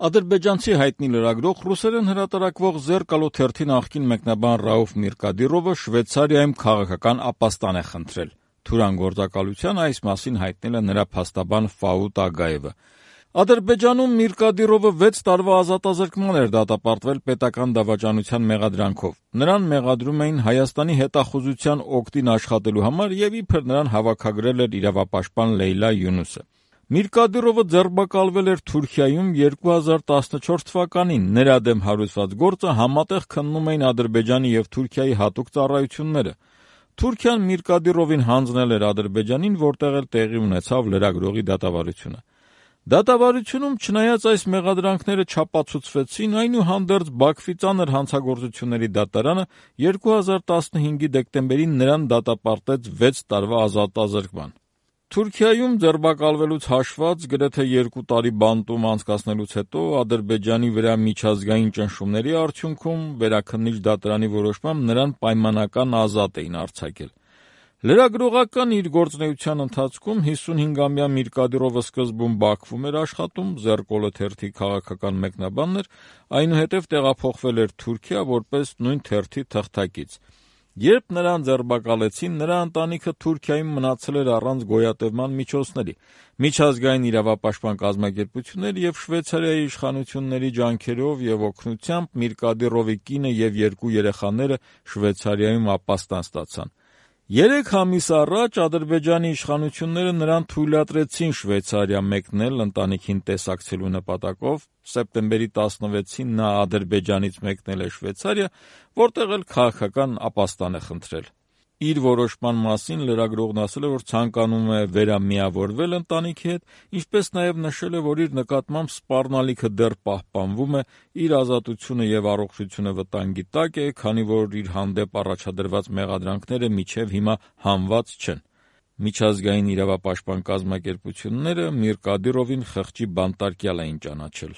Ադրբեջանցի հայտնի լրագրող, ռուսերեն հրատարակվող «Զերկալո» թերթի նախկին մեկնաբան Ռաուֆ Միրկադիրովը Շվեյցարիայում քաղաքական ապաստան է խնդրել։ Թուրան գործակալության այս մասին հայտնել է նրա փաստաբան Ֆաուտ Ագայևը։ Ադրբեջանում Միրկադիրովը 6 տարվա ազատազրկման էր դատապարտվել պետական դավաճանության մեղադրանքով։ Նրան մեղադրում էին Հայաստանի հետախուզության օգտին աշխատելու համար եւ իբր նրան հավաքագրել էր իրավապաշտպան Լեյլա Յունուսը։ Միրկադիրովը ձերբակալվել էր Թուրքիայում 2014 թվականին։ Նրա դեմ հարուցված գործը համատեղ քննում էին Ադրբեջանի եւ Թուրքիայի հատուկ ծառայությունները։ Թուրքիան Միրկադիրովին հանձնել էր Ադրբեջանին, որտեղ էլ տեղի ունեցավ լրագրողի դատավարությունը։ Դատավարությունում, չնայած այս մեղադրանքները չապացուցվեցին, այնուհանդերձ Բաքվի ծանր հանցագործությունների դատարանը 2015-ի դեկտեմբերին նրան դատապարտեց 6 տարվա ազատազրկման։ Թուրքիայում ձերբակալվելուց հաշված գրեթե 2 տարի բանտում անցկացնելուց հետո Ադրբեջանի վրա միջազգային ճնշումների արդյունքում Վերաքննիչ դատարանի որոշմամբ նրան պայմանական ազատ էին արձակել։ Լրագրողական իր գործունեության ընթացքում 55-ամյա Միրկադիրովը սկզբում Բաքվում էր աշխատում, «Զերկալո» թերթի քաղաքական մեկնաբանն էր, այնուհետև տեղափոխվել էր Թուրքիա որպես նույն թերթի թղթակից։ Երբ նրան ձերբակալեցին, նրա ընտանիքը Թուրքիայում մնացել էր առանց գոյատևման միջոցների։ Միջազգային իրավապաշտպան կազմակերպություններ եւ Շվեյցարիայի իշխանությունների ջանքերով եւ օգնությամբ Միրկադիրովի կինը եւ 2 երեխաները Շվեյցարիայում ապաստան ստացան։ 3 ամիս առաջ Ադրբեջանի իշխանությունները նրան թույլատրեցին Շվեյցարիա մեկնել ընտանիքին տեսակցելու նպատակով։ Սեպտեմբերի 16-ին նա Ադրբեջանից մեկնել է Շվեյցարիա, որտեղ էլ քաղաքական ապաստան է խնդրել։ Իր որոշման մասին լրագրողն ասել է, որ ցանկանում է վերամիավորվել ընտանիքի հետ, ինչպես նաև նշել է, որ իր նկատմամբ սպառնալիքը դեռ պահպանվում է, իր ազատությունը եւ առողջությունը վտանգի տակ է, քանի որ իր հանդեպ առաջադրված մեղադրանքները մինչև հիմա հանված չեն։ Միջազգային իրավապաշտպան կազմակերպությունները Միրկադիրովին խղճի բանտարկյալ էին ճանաչել։